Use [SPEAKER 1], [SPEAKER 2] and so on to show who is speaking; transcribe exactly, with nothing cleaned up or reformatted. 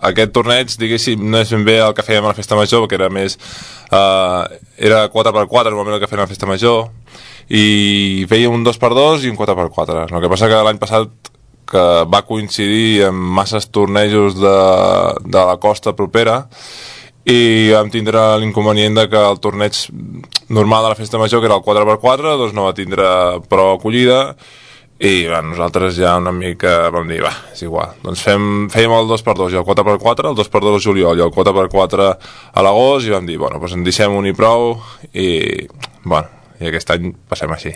[SPEAKER 1] Aquest torneig, diguéssim, no és ben bé el que fèiem a la Festa Major, perquè era més... Uh, era quatre per quatre, normalment el que fèiem a la Festa Major, i fèiem un dos per dos i un quatre per quatre. El que passa que l'any passat, que va coincidir amb masses tornejos de, de la costa propera, i vam tindre l'inconvenient de que el torneig normal de la Festa Major, que era el quatre per quatre, doncs no va tindre prou acollida, i bueno, nosaltres ja una mica vam dir, va, és igual, doncs fem, fèiem el dos per dos i el quatre per quatre, el dos per dos al juliol i el quatre per quatre a l'agost, i vam dir, bueno, doncs en deixem un i prou, i bueno, i aquest any passem així.